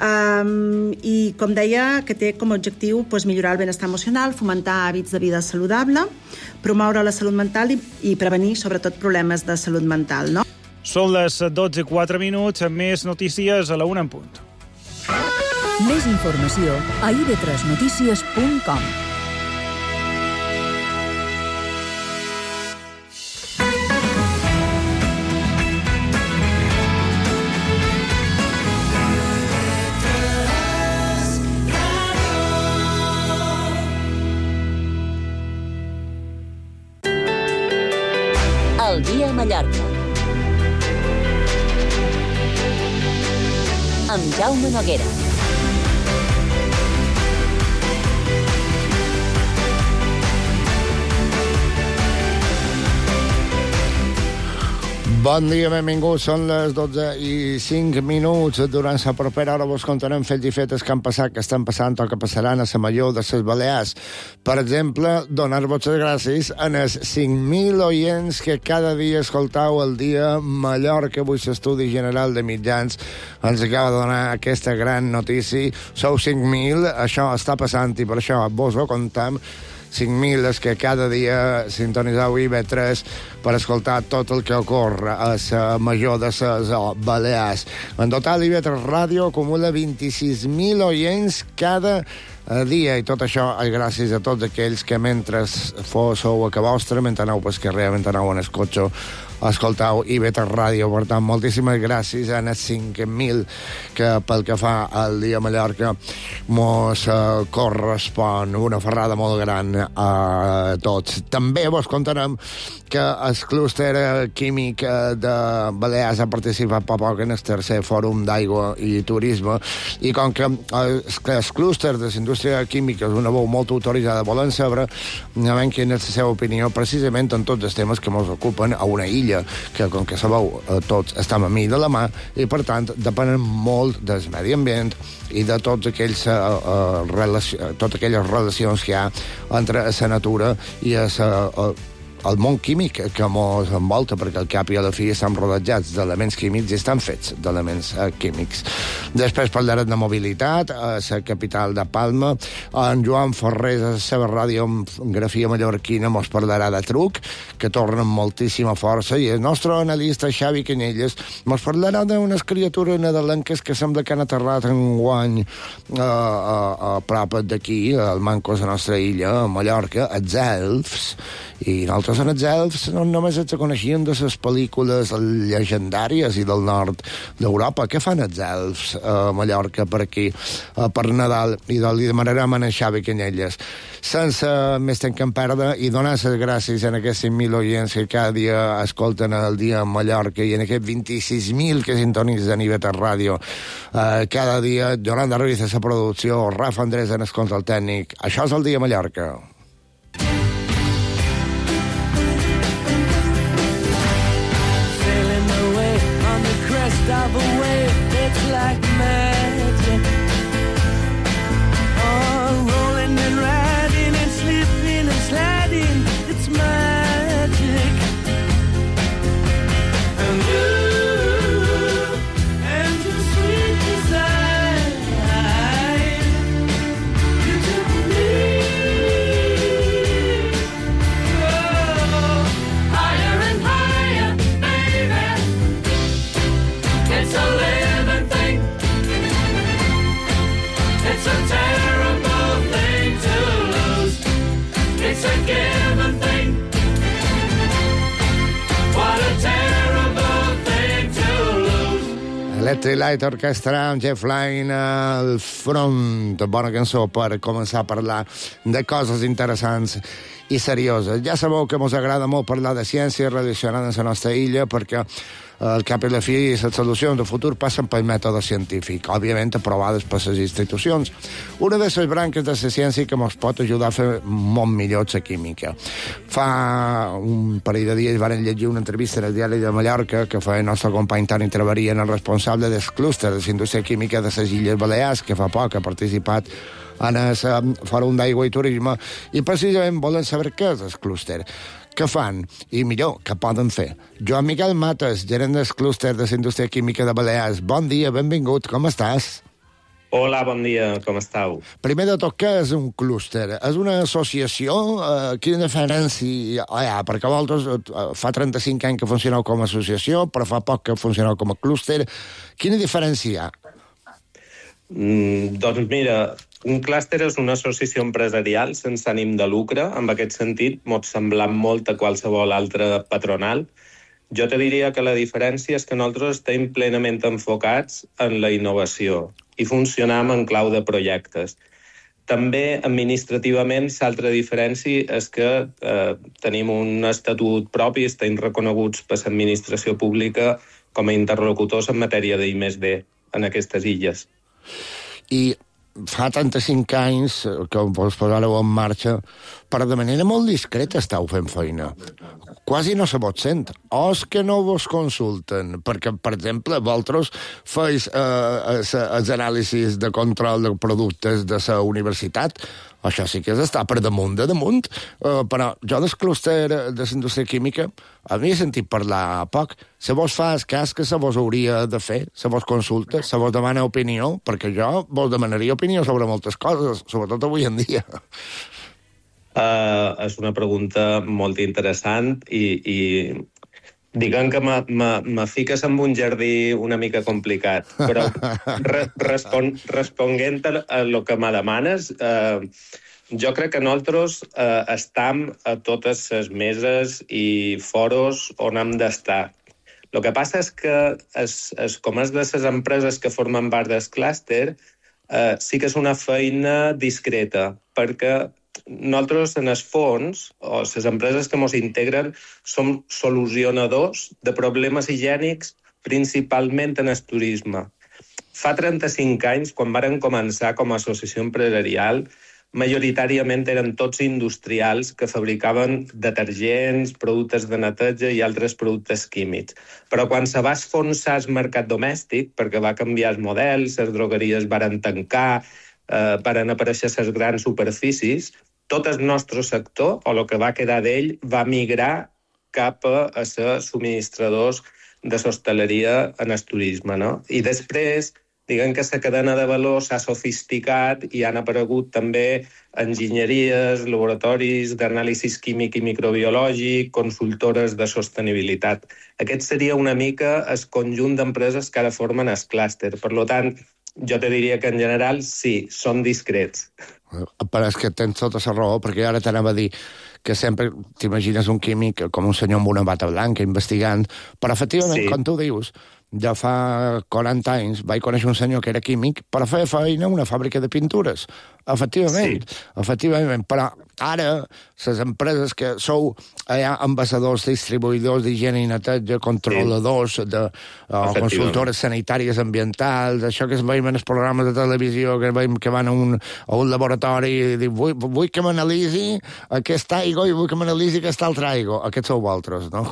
I, com deia, que té com a objectiu millorar el benestar emocional, fomentar hàbits de vida saludable, promoure la salut mental i prevenir, sobretot, problemes de salut mental, no? Són les 12:04, més notícies a la 1 en punt. Més informació a ib3notícies.com. El dia a Mallorca. Amb Jaume Noguera. Bon dia, benvinguts. Són les 12:05. Durant la propera hora vos contarem fets i fetes que han passat, que estan passant o que passaran a la Major de les Balears. Per exemple, donar-vos les gràcies a els 5.000 oients que cada dia escoltau el dia Mallorca. Avui l'Estudi General de Mitjans ens acaba de donar aquesta gran notícia. Sou 5.000, això està passant i per això vos ho contam. 5.000 és que cada dia sintonizeu IB3 per escoltar tot el que ocorre a la Major de les Balears. En total, IB3 Ràdio acumula 26.000 oients cada dia, i tot això és gràcies a tots aquells que mentre sou a casa vostra, mentre aneu pel carrer, mentre aneu en el cotxe, escoltau IB3 Ràdio. Per tant, moltíssimes gràcies a els 5.000 que pel que fa al dia Mallorca mos correspon. Una ferrada molt gran a tots. També vos contarem que el clúster químic de Balears ha participat fa poc en el tercer fòrum d'aigua i turisme, i com que el clúster de la indústria química és una veu molt autoritzada, volen saber quina és la seva opinió precisament en tots els temes que ens ocupen a una illa que, com que sabeu, tots estem a mi de la mà i, per tant, depenen molt del medi ambient i de totes aquelles relacions que hi ha entre la natura i el món químic que ens envolta, perquè al cap i a la fi estan rodejats d'elements químics i estan fets d'elements químics. Després parlarem de mobilitat a la capital de Palma. En Joan Ferrés, a la seva radiografia mallorquina, ens parlarà de truc, que torna amb moltíssima força, i el nostre analista Xavi Canyelles ens parlarà d'unes criatures nadalenques que sembla que han aterrat enguany a prop d'aquí, al Mancos, a la nostra illa, a Mallorca, els elfs. I nosaltres en els elfs no només els coneixíem de les pel·lícules llegendàries i del nord d'Europa. Què fan els elfs a Mallorca per aquí, per Nadal? I li demanarem a Xavi Canyelles. Sense més temps que em perda, i donar les gràcies a aquests 5.000 oients que cada dia escolten el dia a Mallorca i en aquests 26.000 que sintonitzen IB3 Ràdio cada dia. Yolanda Ruiz a la producció, Rafa Andrés en el control tècnic. Això és el dia a Mallorca. Of a wave, it's like magic. Oh, rolling and riding and slipping and sliding, it's magic. And you and your sweet desire, you took me higher and higher, baby. It's a living thing. It's a terrible thing to lose. It's a given thing. What a terrible thing to lose. Electric Light Orchestra amb Jeff Lynne al front. Bona cançó per començar a parlar de coses interessants i serioses. Ja sabeu que ens agrada molt parlar de ciència relacionada amb la nostra illa, perquè al cap i la fi les solucions del futur passen pel mètode científic, òbviament aprovades per les institucions. Una de les branques de la ciència que ens pot ajudar a fer molt millor la química. Fa un parell de dies van llegir una entrevista en el Diari de Mallorca que fa el nostre company Toni Traveria, el responsable del clúster de la indústria química de les Illes Balears, que fa poc ha participat en el Fòrum d'Aigua i Turisme, i precisament volen saber què és el clúster, què fan i, millor, què poden fer. Joan Miquel Mates, gerent del clúster de la indústria química de Balears. Bon dia, benvingut, com estàs? Hola, bon dia, com estàu? Primer de tot, què és un clúster? És una associació? Quina diferència hi ha? Perquè vosaltres fa 35 anys que funcioneu com a associació, però fa poc que funcioneu com a clúster. Quina diferència hi ha? Doncs mira, un clúster és una associació empresarial sense ànim de lucre. En aquest sentit, m'ho sembla molt a qualsevol altra patronal. Jo te diria que la diferència és que nosaltres estem plenament enfocats en la innovació i funcionam en clau de projectes. També, administrativament, l'altra diferència és que tenim un estatut propi, estem reconeguts per l'administració pública com a interlocutors en matèria d'I+D en aquestes illes. I fa 35 anys que vos posareu en marxa, però de manera molt discreta estàu fent feina. Quasi no se vos sent. O és que no vos consulten, perquè, per exemple, vosaltres feis els anàlisis de control de productes de la universitat. Això sí que és estar per damunt de damunt, però jo del clúster de la indústria química havia sentit parlar poc. Se vos fa el cas que se vos hauria de fer, se vos consulta, se vos demana opinió, perquè jo vos demanaria opinió sobre moltes coses, sobretot avui en dia. És una pregunta molt interessant i diguem que me fiques en un jardí una mica complicat, però responguent a lo que me demanes, jo crec que nosaltres estem a totes les meses i foros on hem d'estar. El que passa és que, com és de les empreses que formen part del clúster, sí que és una feina discreta, perquè nosaltres, en el fons, o les empreses que ens integren, som solucionadors de problemes higiènics, principalment en el turisme. Fa 35 anys, quan varen començar com a associació empresarial, majoritàriament eren tots industrials que fabricaven detergents, productes de neteja i altres productes químics. Però quan se va esfonsar el mercat domèstic, perquè va canviar el model, les drogueries varen tancar, varen aparèixer les grans superfícies, tot el nostre sector, o el que va quedar d'ell, va migrar cap a ser subministradors de l'hostaleria en el turisme, no? I després, diguem que la cadena de valor s'ha sofisticat i han aparegut també enginyeries, laboratoris d'anàlisi químic i microbiològic, consultores de sostenibilitat. Aquest seria una mica el conjunt d'empreses que ara formen el clúster. Per tant, jo te diria que en general sí, són discrets. Però és que tens tota la raó, perquè ara t'anava a dir que sempre t'imagines un químic com un senyor amb una bata blanca investigant, però efectivament, sí, com tu dius, ja fa 40 anys vaig conèixer un senyor que era químic, però feia feina a una fàbrica de pintures. Efectivament, sí, efectivament, però ara les empreses que sou ambaixadors, distribuïdors d'higiene i neteja, controladors, consultores sanitàries ambientals, això que es veiem en els programes de televisió, que veiem que van a un laboratori i diuen vull que m'analitzi aquesta aigua i vull que m'analitzi aquesta altra aigua. Aquests sou vosaltres, no?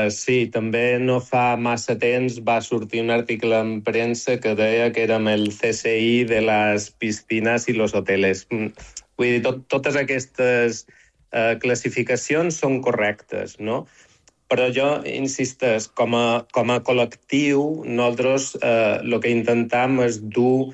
Sí, també no fa massa temps va sortir un article en premsa que deia que érem el CSI de les piscines i los hoteles. Vull dir, totes aquestes classificacions són correctes, no? Però jo insisteix, com a col·lectiu, nosaltres el que intentem és dur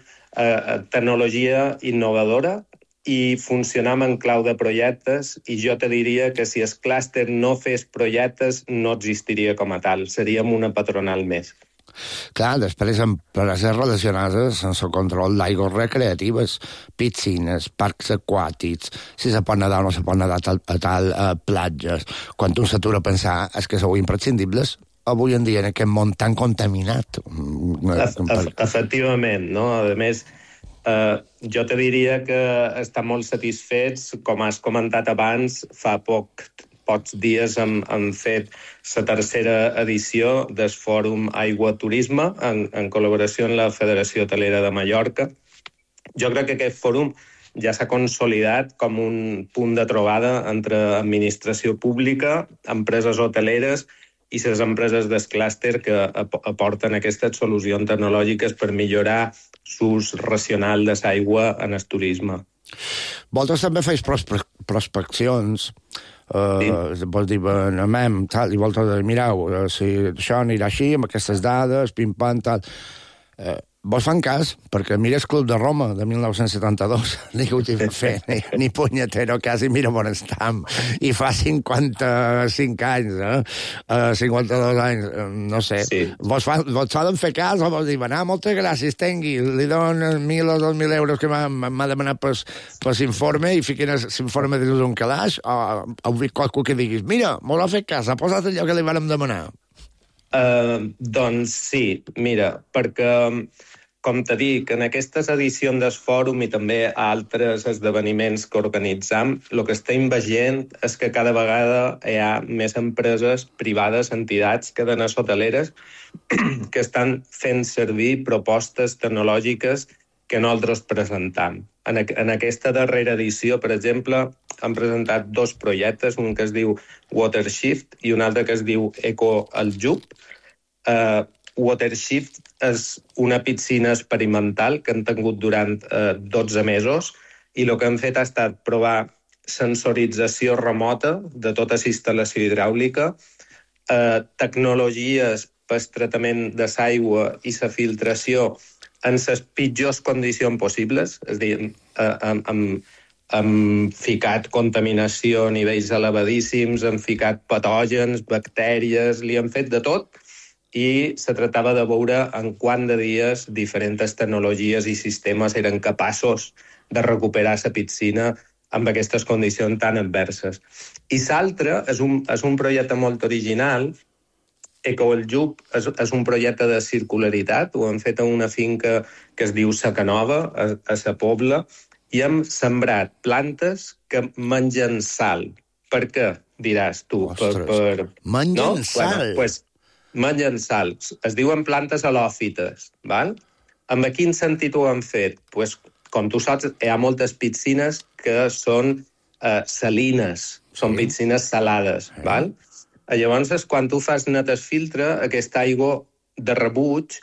tecnologia innovadora i funcionam en clau de projectes, i jo te diria que si el clúster no fes projectes no existiria com a tal, seríem una patronal més. Clar, després empreses relacionades amb el control d'aigües recreatives, piscines, parcs aquàtics, si se pot nedar o no se pot nedar a tal platges. Quan un s'atura a pensar és que sou imprescindibles avui en dia en aquest món tan contaminat. Efectivament, no? A més, jo te diria que estan molt satisfets, com has comentat abans, fa pocs dies hem fet la tercera edició del Fòrum Aigua Turisme en col·laboració amb la Federació Hotelera de Mallorca. Jo crec que aquest fòrum ja s'ha consolidat com un punt de trobada entre administració pública, empreses hoteleres i les empreses del clúster que aporten aquestes solucions tecnològiques per millorar l'ús racional de l'aigua en el turisme. Vosaltres també feis prospeccions, vols dir, anem, tal, i vosaltres mireu, si això anirà així, amb aquestes dades, pim-pam, tal. vos fan cas, perquè mires Club de Roma, de 1972, ningú t'hi va fer, ni punyetero, quasi mira on estam, i fa 55 anys, 52 anys, no sé. Sí. Vos solen fer cas, o vos diuen, moltes gràcies, tengui, li donen 1.000 o 2.000 euros que m'ha demanat per l'informe, i fiquen l'informe dins un calaix, o heu vist qualcú que diguis, mira, mos ha fet cas, ha posat allò que li vàrem demanar. Doncs sí, mira, perquè, com te dic, en aquestes edicions del fòrum i també a altres esdeveniments que organitzam, el que estem veient és que cada vegada hi ha més empreses privades, entitats, cadenes hoteleres, que estan fent servir propostes tecnològiques que nosaltres presentam. En aquesta darrera edició, per exemple, han presentat 2 projectes, un que es diu WaterShift i un altre que es diu EcoAljub. WaterShift és una piscina experimental que han tingut durant 12 mesos i el que han fet ha estat provar sensorització remota de tota la instal·lació hidràulica, tecnologies per tractament de l'aigua i la filtració en les pitjors condicions possibles, és a dir, hem ficat contaminació a nivells elevadíssims, hem ficat patògens, bactèries, li hem fet de tot, i se tractava de veure en quant de dies diferents tecnologies i sistemes eren capaços de recuperar la piscina amb aquestes condicions tan adverses. I l'altre és un projecte molt original. EcoAljub és un projecte de circularitat, ho hem fet a una finca que es diu Sacanova, a la Pobla, i hem sembrat plantes que mengen sal. Per què, diràs tu? Ostres, mengen sal? Bueno, pues, mengen sal. Es diuen plantes halòfites, val? En quin sentit ho hem fet? Pues, com tu saps, hi ha moltes piscines que són salines, són piscines salades, val? Llavors, quan tu fas netes filtre, aquesta aigua de rebuig,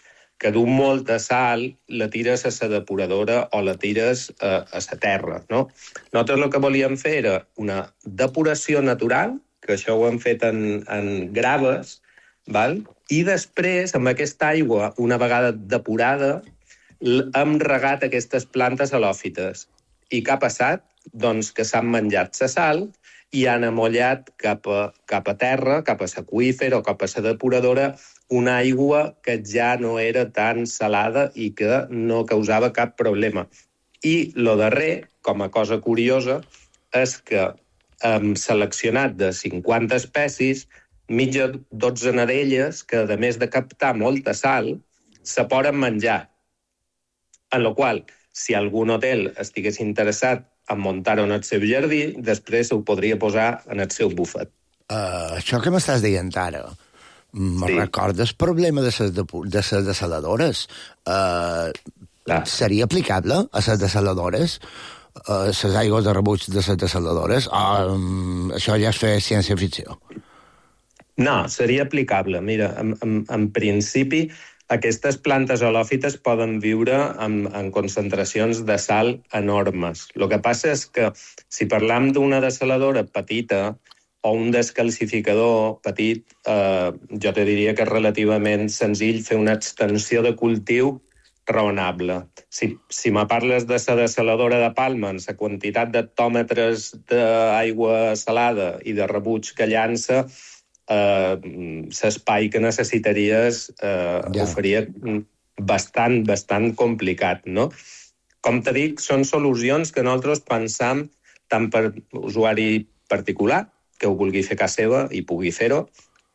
que du molta sal, la tires a la depuradora o la tires a la terra, no? Nosaltres el que volíem fer era una depuració natural, que això ho hem fet en graves, val? I després, amb aquesta aigua, una vegada depurada, hem regat aquestes plantes halòfites. I què ha passat? Doncs que s'han menjat la sal i han amollat cap a terra, cap a l'aqüífer o cap a la depuradora, una aigua que ja no era tan salada i que no causava cap problema. I el darrer, com a cosa curiosa, és que hem seleccionat de 50 espècies mitja dotzena d'elles que, a més de captar molta sal, se poden menjar. En la qual, si algun hotel estigués interessat en muntar-ho en el seu jardí, després ho podria posar en el seu bufet. Això que m'estàs dient ara, recordes el problema de les desaladores? Seria aplicable a les desaladores? Les aigües de rebuig de les desaladores? Això ja és fer ciència-ficció? No, seria aplicable. Mira, en principi, aquestes plantes halòfites poden viure en concentracions de sal enormes. El que passa és que si parlam d'una desaladora petita o un descalcificador petit, jo te diria que és relativament senzill fer una extensió de cultiu raonable. Si me parles de la desaladora de Palma, en la quantitat d'hectòmetres d'aigua salada i de rebuig que llança, l'espai que necessitaries ho faria bastant complicat, no? Com te dic, són solucions que nosaltres pensam tant per usuari particular, que ho vulgui fer a casa seva i pugui fer-ho,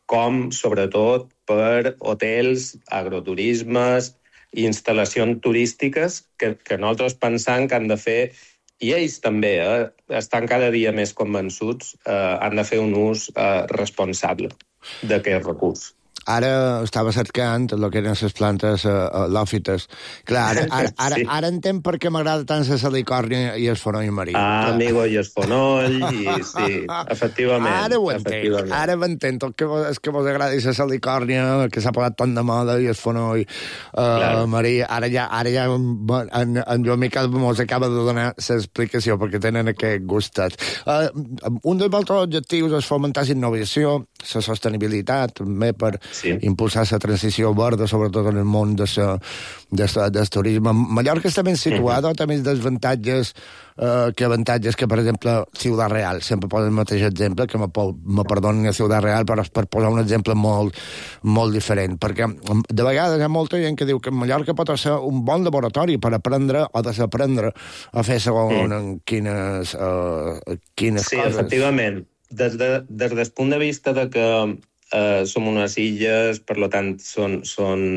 com, sobretot, per hotels, agroturismes i instal·lacions turístiques que nosaltres pensam que han de fer, i ells també estan cada dia més convençuts, han de fer un ús responsable d'aquest recurs. Ara estava cercant el que eren les plantes halòfites. Clar, ara entenc per què m'agrada tant la salicòrnia i el fonoll marí. Amigo, i el fonoll, i sí, efectivament. Ara ho entenc, ara m'entenc. És que vos agrada la salicòrnia, que s'ha posat tant de moda, i el fonoll marí. Ara ja en Joan Miquel mos acaba de donar l'explicació perquè tenen aquest gustet. Un dels vostres objectius és fomentar la innovació la sostenibilitat, també per impulsar la transició verda, sobretot en el món del turisme. Mallorca està ben situada, té més desavantatges que avantatges que, per exemple, Ciutat Real. Sempre poso el mateix exemple, que me perdonin a Ciutat Real, però per posar un exemple molt, molt diferent. Perquè de vegades hi ha molta gent que diu que Mallorca pot ser un bon laboratori per aprendre o desaprendre a fer segons quines coses. Sí, efectivament. Des del punt de vista de que som unes illes, per tant, són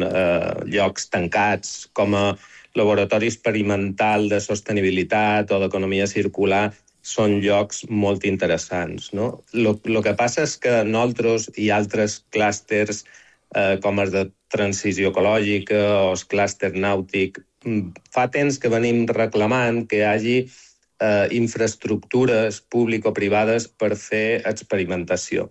llocs tancats, com a laboratori experimental de sostenibilitat o d'economia circular, són llocs molt interessants, no? Lo que passa és que nosaltres i altres clústers, com els de transició ecològica o el clúster nàutic, fa temps que venim reclamant que hi hagi infraestructures público-privades per fer experimentació.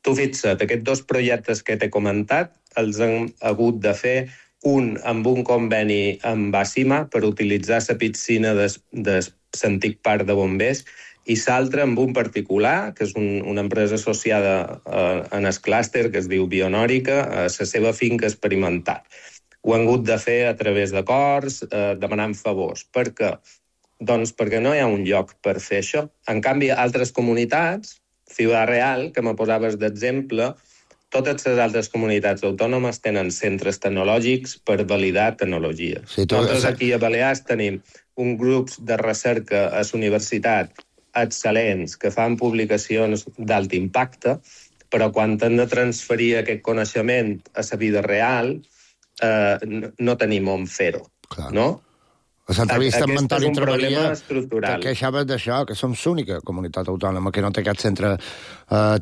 Tu fixa't, aquests dos projectes que t'he comentat els han hagut de fer, un amb un conveni amb Bàssima per utilitzar la piscina de l'antic parc de bombers i l'altre amb un particular, que és una empresa associada en el clúster, que es diu Bionòrica, a la seva finca experimental. Ho han hagut de fer a través d'acords, demanant favors. Per què? Doncs perquè no hi ha un lloc per fer això. En canvi, altres comunitats, Ciutat Real, que me posaves d'exemple, totes les altres comunitats autònomes tenen centres tecnològics per validar tecnologia. Sí, nosaltres aquí a Balears tenim un grup de recerca a la universitat excel·lents que fan publicacions d'alt impacte, però quan han de transferir aquest coneixement a la vida real, no tenim on fer-ho, no? A l'entrevista amb Antoni Treballia te queixaves d'això, que som l'única comunitat autònoma que no té cap centre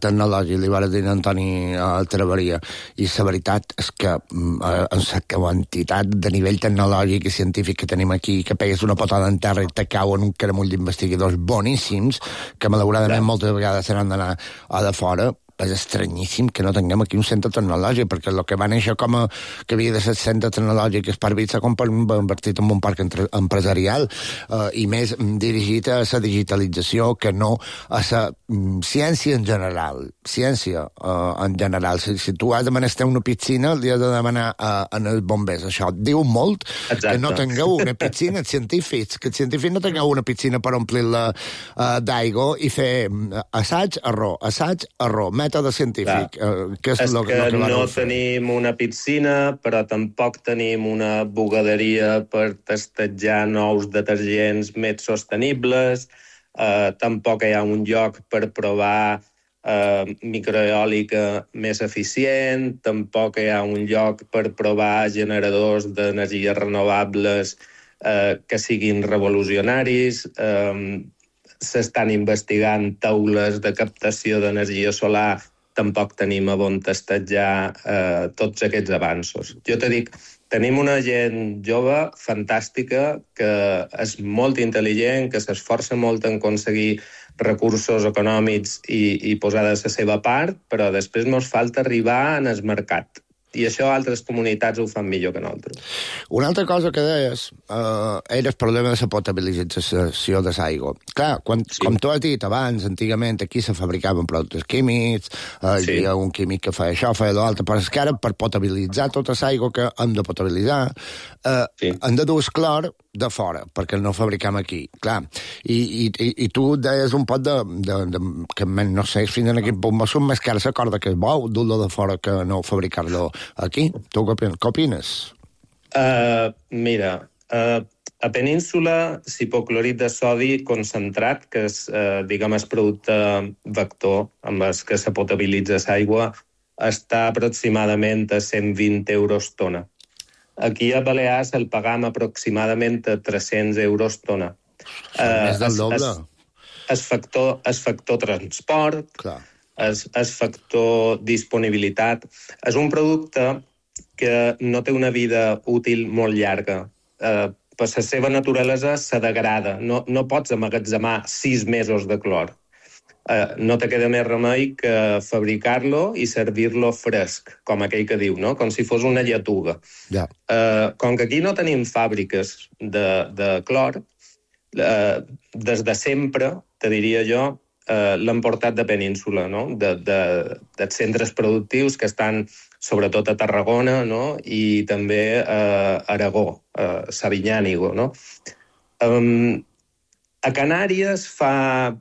tecnològic, li vas dir a Antoni Treballia. I la veritat és que la quantitat de nivell tecnològic i científic que tenim aquí, que pegues una patada en terra i te cau en un caramull d'investigadors boníssims, que malauradament moltes vegades se n'han d'anar a de fora, és estranyíssim que no tinguem aquí un centre tecnològic, perquè el que va néixer com que havia de ser centre tecnològic és per s'ha convertit en un parc empresarial i més dirigit a la digitalització que no a la ciència en general. Ciència en general. Si tu has de menester una piscina, li has de demanar als bombers. Això diu molt. Exacte. Que no tingueu una piscina, els científics, que els científics no tingueu una piscina per omplir-la d'aigua i fer assaig, error, mètode científic. Que és que no tenim una piscina, però tampoc tenim una bugaderia per testejar nous detergents més sostenibles, tampoc hi ha un lloc per provar microeòlica més eficient, tampoc hi ha un lloc per provar generadors d'energies renovables que siguin revolucionaris, s'estan investigant taules de captació d'energia solar, tampoc tenim a on testejar tots aquests avanços. Jo te dic, tenim una gent jove fantàstica que és molt intel·ligent, que s'esforça molt en aconseguir recursos econòmics i posar de la seva part, però després ens falta arribar en el mercat. I això altres comunitats ho fan millor que nosaltres. Una altra cosa que deies era el problema de la potabilització de l'aigua. Clar, com tu has dit abans, antigament aquí se fabricaven productes químics, hi havia un químic que feia això, feia l'altre, però és que ara per potabilitzar tota l'aigua que hem de potabilitzar hem de dur el clor de fora, perquè no fabricam aquí. Clar, i tu deies un pot que no sé fins en quin punt va ser més car la corda que es vol dur-lo de fora que no fabricar-lo aquí. Tu què opines? Mira, a Península, l'hipoclorit de sodi concentrat, que és, diguem, el producte vector amb el que se potabilitza l'aigua, està aproximadament a 120 euros tona. Aquí a Balears el pagam aproximadament a 300 euros tona. Més del doble. El factor transport, el factor disponibilitat. És un producte que no té una vida útil molt llarga. Per la seva naturalesa se degrada. No pots emmagatzemar 6 mesos de clor. No te queda més remei que fabricar-lo i servir-lo fresc, com aquell que diu, no? Com si fos una lletuga. Com que aquí no tenim fàbriques de clor, des de sempre, te diria jo, l'han portat de península, no? De centres productius que estan sobretot a Tarragona, no? I també a Aragó, a Sabinyànigo, no? A Canàries fa,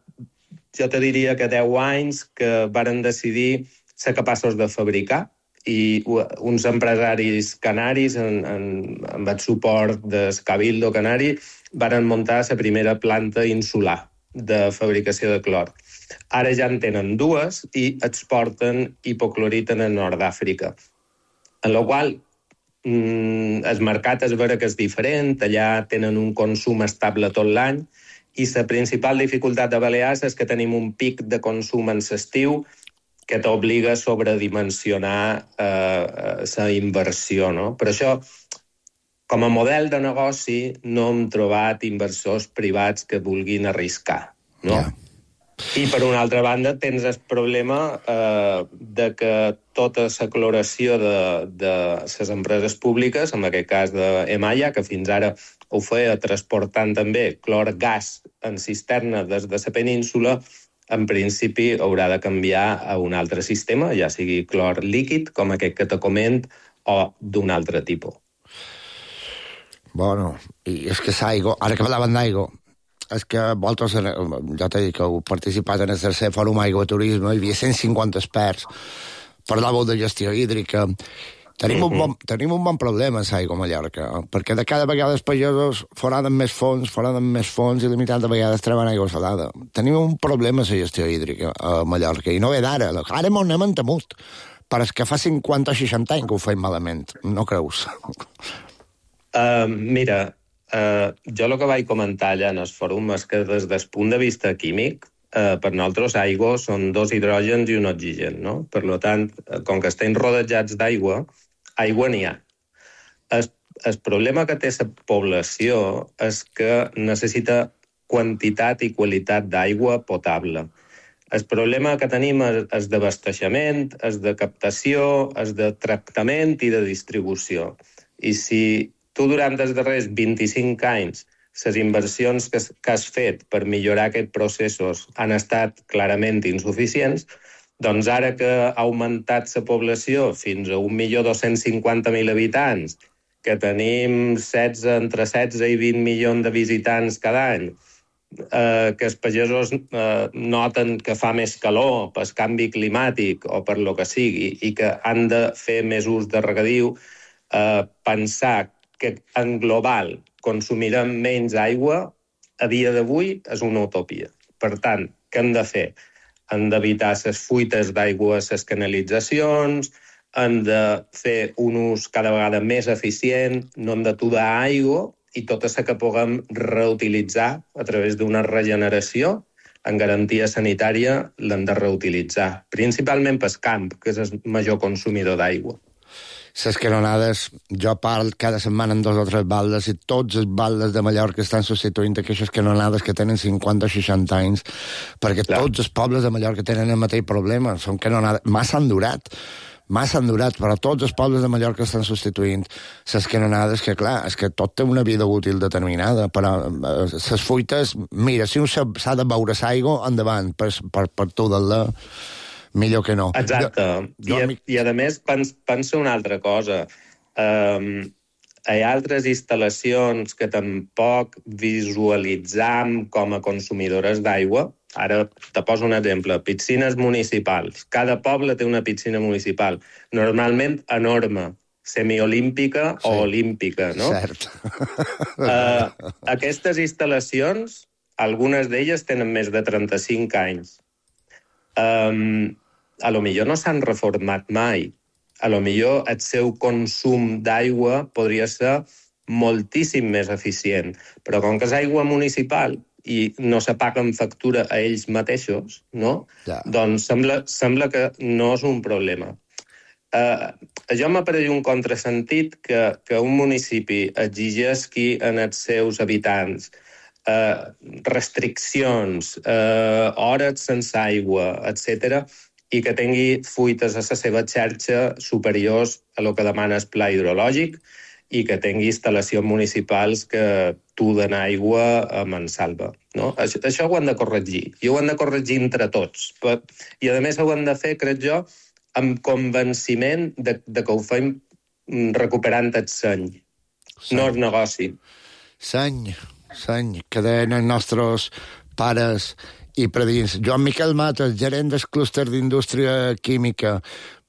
jo te diria que 10 anys que varen decidir ser capaços de fabricar i uns empresaris canaris, amb el suport del Cabildo Canari, varen muntar la primera planta insular de fabricació de clor. Ara ja en tenen 2 i exporten hipoclorit en el nord d'Àfrica. En la qual el mercat és vera que és diferent, allà tenen un consum estable tot l'any i la principal dificultat de Balears és que tenim un pic de consum en l'estiu que t'obliga a sobredimensionar la inversió, no? Per això, com a model de negoci, no hem trobat inversors privats que vulguin arriscar, no? Yeah. I, per una altra banda, tens el problema de que tota la cloració de les empreses públiques, en aquest cas d'Emaya, que fins ara ho feia transportant també clor gas en cisterna des de la península, en principi haurà de canviar a un altre sistema, ja sigui clor líquid, com aquest que te coment, o d'un altre tipus. Bueno, i és que l'aigua, ara que parlaven d'aigua, és que vosaltres, ja t'he dit que heu participat en el tercer fòrum Aigua Turisme, hi havia 150 experts, parlàveu de gestió hídrica. Tenim un bon problema a l'aigua a Mallorca, perquè de cada vegada els pagesos foraden més fons i limitant de vegades treuen aigua salada. Tenim un problema a la gestió hídrica a Mallorca, i no ve d'ara. Ara m'ho anem entemut, però és que fa 50 o 60 anys que ho feim malament, no creus? Mira, jo el que vaig comentar allà en el fòrum és que des del punt de vista químic, per nosaltres aigua són 2 hidrògens i un oxigen, no? Per tant, com que estem rodejats d'aigua, aigua n'hi ha. El problema que té la població és que necessita quantitat i qualitat d'aigua potable. El problema que tenim és d'abasteixement, és de captació, és de tractament i de distribució. I si tu durant els darrers 25 anys les inversions que has fet per millorar aquests processos han estat clarament insuficients, doncs ara que ha augmentat la població fins a 1.250.000 habitants, que tenim entre 16 i 20 milions de visitants cada any, que els pagesos noten que fa més calor pel canvi climàtic o per lo que sigui i que han de fer més ús de regadiu, pensar que en global consumirem menys aigua, a dia d'avui és una utopia. Per tant, què hem de fer? Hem d'evitar les fuites d'aigua a les canalitzacions, hem de fer un ús cada vegada més eficient, no hem d'aturar aigua i tota la que puguem reutilitzar a través d'una regeneració en garantia sanitària l'hem de reutilitzar, principalment pel camp, que és el major consumidor d'aigua. Les canonades, jo parlo cada setmana en 2 o 3 baldes i tots els baldes de Mallorca estan substituint aquestes canonades que tenen 50 o 60 anys, perquè tots els pobles de Mallorca tenen el mateix problema, són canonades, massa han durat, però tots els pobles de Mallorca estan substituint les canonades, que clar, és que tot té una vida útil determinada, però les fuites, mira, si un s'ha de beure l'aigua, endavant, per tu del millor que no. Exacte. I a més, pensa una altra cosa. Hi ha altres instal·lacions que tampoc visualitzam com a consumidores d'aigua. Ara te poso un exemple. Piscines municipals. Cada poble té una piscina municipal. Normalment enorme, semiolímpica o olímpica, no? Cert. Aquestes instal·lacions, algunes d'elles tenen més de 35 anys. A lo millor no s'han reformat mai. A lo millor el seu consum d'aigua podria ser moltíssim més eficient. Però com que és aigua municipal i no se paguen factura a ells mateixos, no? Ja. Doncs sembla que no és un problema. Jo m'apareix un contrasentit que un municipi exigeixi en els seus habitants restriccions, hores sense aigua, etc., i que tingui fuites a la seva xarxa superiors a lo que demana el pla hidrològic i que tingui instal·lacions municipals que duden aigua a mansalva. No? Això ho han de corregir, i ho han de corregir entre tots. I, a més, ho han de fer, crec jo, amb convenciment de que ho fem recuperant el seny. No és negoci. Seny, que deien els nostres pares i predins. Joan Miquel Mates, gerent del clúster d'indústria química.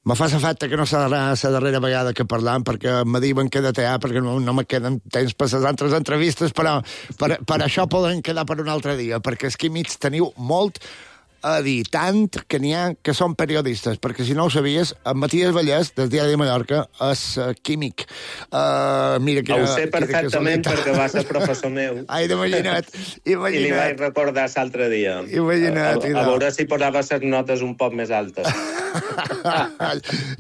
Me fa l'efecte que no serà la darrera vegada que parlam, perquè me diuen que he de tear, perquè no me queden temps per les altres entrevistes, però per això podem quedar per un altre dia, perquè els químics teniu molt a dir, tant que n'hi ha que són periodistes, perquè si no ho sabies, en Matías Vallès, del Diari de Mallorca, és químic. Mira que, ho sé perfectament perquè va ser professor meu. Ai, imagina't. I li vaig recordar l'altre dia. Imagina't. A veure si posava les notes un poc més altes.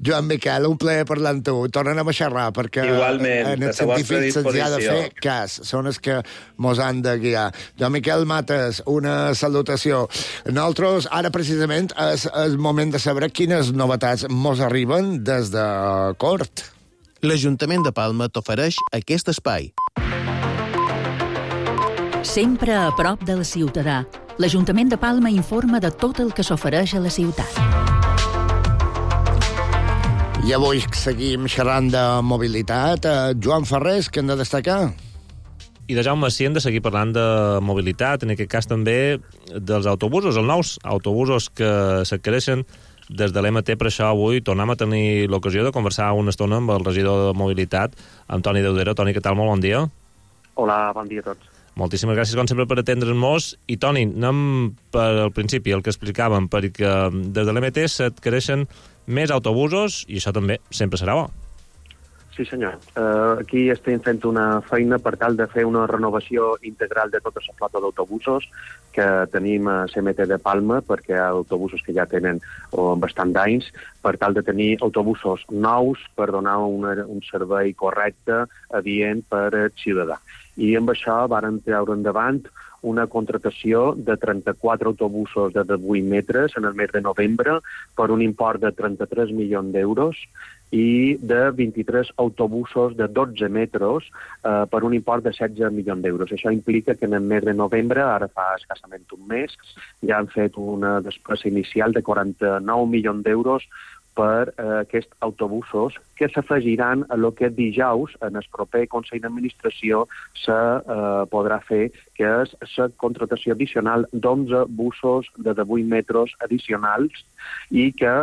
Joan Miquel, un plaer parlar amb tu. Tornem a xerrar, perquè igualment, en els científics se'ls ha de fer cas. Són els que mos han de guiar. Joan Miquel Mates, una salutació. Nosaltres, ara precisament, és el moment de saber quines novetats mos arriben des de Cort. L'Ajuntament de Palma t'ofereix aquest espai. Sempre a prop del ciutadà, l'Ajuntament de Palma informa de tot el que s'ofereix a la ciutat. I avui seguim xerrant de mobilitat. Joan Ferrés, què hem de destacar? I de Jaume, sí, hem de seguir parlant de mobilitat, en aquest cas també dels autobusos, els nous autobusos que s'adquireixen des de l'MT. Per això avui tornem a tenir l'ocasió de conversar una estona amb el regidor de mobilitat, amb Toni Deudero. Toni, què tal? Molt bon dia. Hola, bon dia a tots. Moltíssimes gràcies, com sempre, per atendre'ns-nos. I, Toni, anem per al principi, el que explicàvem, perquè des de l'MT s'adquireixen més autobusos, i això també sempre serà bo. Sí, senyor. Aquí estem fent una feina per tal de fer una renovació integral de tota la flota d'autobusos que tenim a CMT de Palma, perquè hi ha autobusos que ja tenen bastant d'anys, per tal de tenir autobusos nous per donar un servei correcte, adient per al ciutadà. I amb això varen treure endavant una contratació de 34 autobusos de 18 metres en el mes de novembre per un import de 33 milions d'euros i de 23 autobusos de 12 metres per un import de 16 milions d'euros. Això implica que en el mes de novembre, ara fa escassament un mes, ja han fet una despesa inicial de 49 milions d'euros per aquests autobusos que s'afegiran a lo que dijous en el proper Consell d'Administració se podrà fer, que és la contratació addicional d'11 busos de 18 metres addicionals i que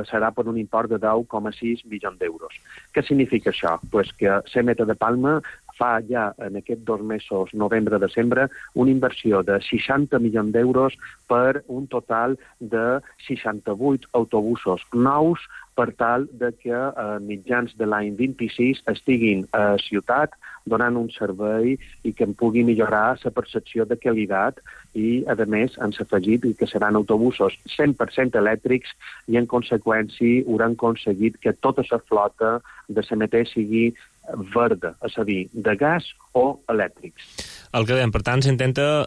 serà per un import de 10,6 milions d'euros. Què significa això? Pues que CMT de Palma fa ja en aquests 2 mesos, novembre-desembre, una inversió de 60 milions d'euros per un total de 68 autobusos nous per tal de que a mitjans de l'any 26 estiguin a ciutat donant un servei i que en pugui millorar la percepció de qualitat i, a més, han afegit que seran autobusos 100% elèctrics i, en conseqüència, hauran aconseguit que tota la flota de CMT sigui verda, és a dir, de gas o elèctrics. El que dèiem, per tant, s'intenta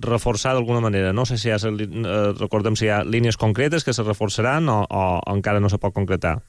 reforçar d'alguna manera. No sé si recordem si hi ha línies concretes que se reforçaran o encara no se pot concretar.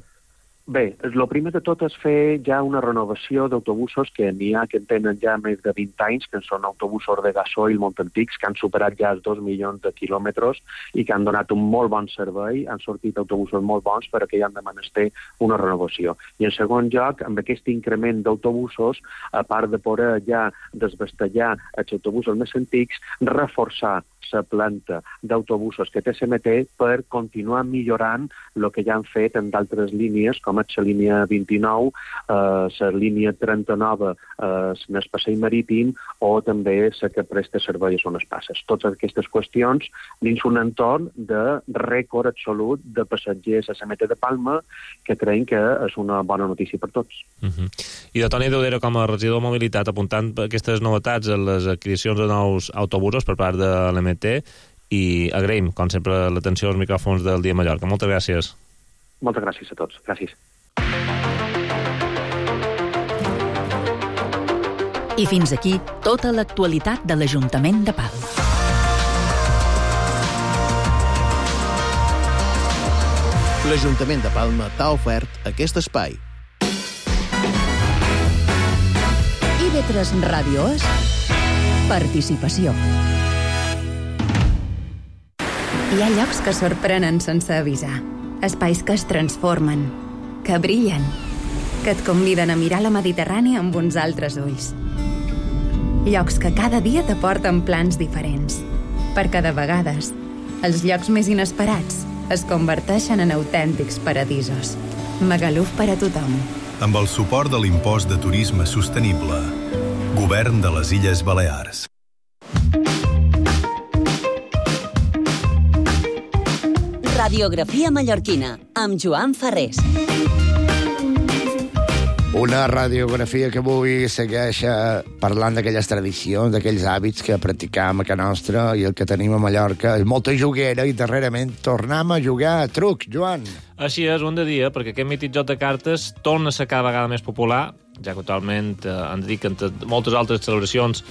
Bé, el primer de tot és fer ja una renovació d'autobusos que n'hi ha que en tenen ja més de 20 anys, que són autobusos de gasoil molt antics, que han superat ja els 2 milions de quilòmetres i que han donat un molt bon servei, han sortit autobusos molt bons perquè hi han de menester una renovació. I en segon lloc, amb aquest increment d'autobusos, a part de poder ja desvestellar els autobusos més antics, reforçar la planta d'autobusos que té CMT per continuar millorant el que ja han fet en d'altres línies, com és la línia 29, la línia 39 en el passeig marítim o també la que presta servei a zones passes. Totes aquestes qüestions dins un entorn de rècord absolut de passatgers a CMT de Palma, que creiem que és una bona notícia per tots. I de Toni Deudero, com a regidor de mobilitat, apuntant aquestes novetats en les adquisicions de nous autobusos per part de l'MT, i agraïm, com sempre, l'atenció als micròfons del Dia Mallorca. Moltes gràcies. Moltes gràcies a tots. Gràcies. I fins aquí tota l'actualitat de l'Ajuntament de Palma. L'Ajuntament de Palma t'ha ofert aquest espai. TV3 Ràdio és participació. Hi ha llocs que sorprenen sense avisar. Espais que es transformen, que brillen, que et conviden a mirar la Mediterrània amb uns altres ulls. Llocs que cada dia t'aporten plans diferents, perquè de vegades els llocs més inesperats es converteixen en autèntics paradisos. Magaluf per a tothom. Amb el suport de l'impost de turisme sostenible. Govern de les Illes Balears. Radiografia mallorquina, amb Joan Ferrés. Una radiografia que avui segueix parlant d'aquelles tradicions, d'aquells hàbits que practicam a casa nostra i el que tenim a Mallorca. És molta juguera i darrerament tornem a jugar a truc, Joan. Així és, un de dia, perquè aquest mític joc de cartes torna a ser cada vegada més popular, ja que actualment han de dir que entre moltes altres celebracions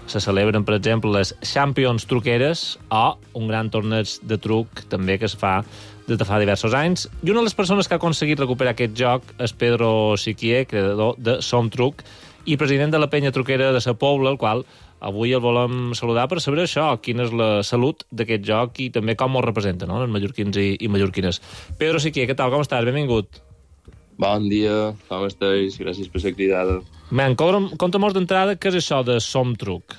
se celebren, per exemple, les Champions truqueres o un gran torneig de truc també que es fa des de fa diversos anys. I una de les persones que ha aconseguit recuperar aquest joc és Pedro Siquier, creador de Som Truc i president de la penya truquera de Sa Pobla, el qual avui el volem saludar per saber això, quina és la salut d'aquest joc i també com el representa, no?, els mallorquins i mallorquines. Pedro Siquier, què tal? Com estàs? Benvingut. Bon dia, com estàs? Gràcies per ser cridada. Man, compta-mos d'entrada què és això de Som Truc.